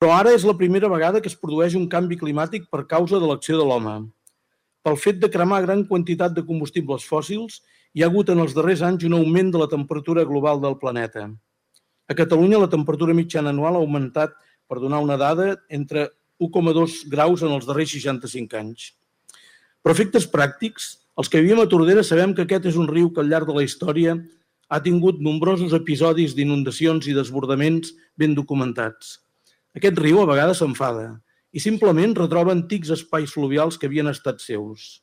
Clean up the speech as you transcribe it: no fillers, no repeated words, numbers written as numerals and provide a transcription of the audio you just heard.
Però ara és la primera vegada que es produeix un canvi climàtic per causa de l'acció de l'home. Pel fet de cremar gran quantitat de combustibles fòssils, hi ha hagut en els darrers anys un augment de la temperatura global del planeta. A Catalunya la temperatura mitjana anual ha augmentat, per donar una dada, entre 1,2 graus en els darrers 65 anys. Per efectes pràctics, els que vivim a Tordera sabem que aquest és un riu que al llarg de la història ha tingut nombrosos episodis d'inundacions i desbordaments ben documentats. Aquest riu a vegades s'enfada i simplement retroba antics espais fluvials que havien estat seus.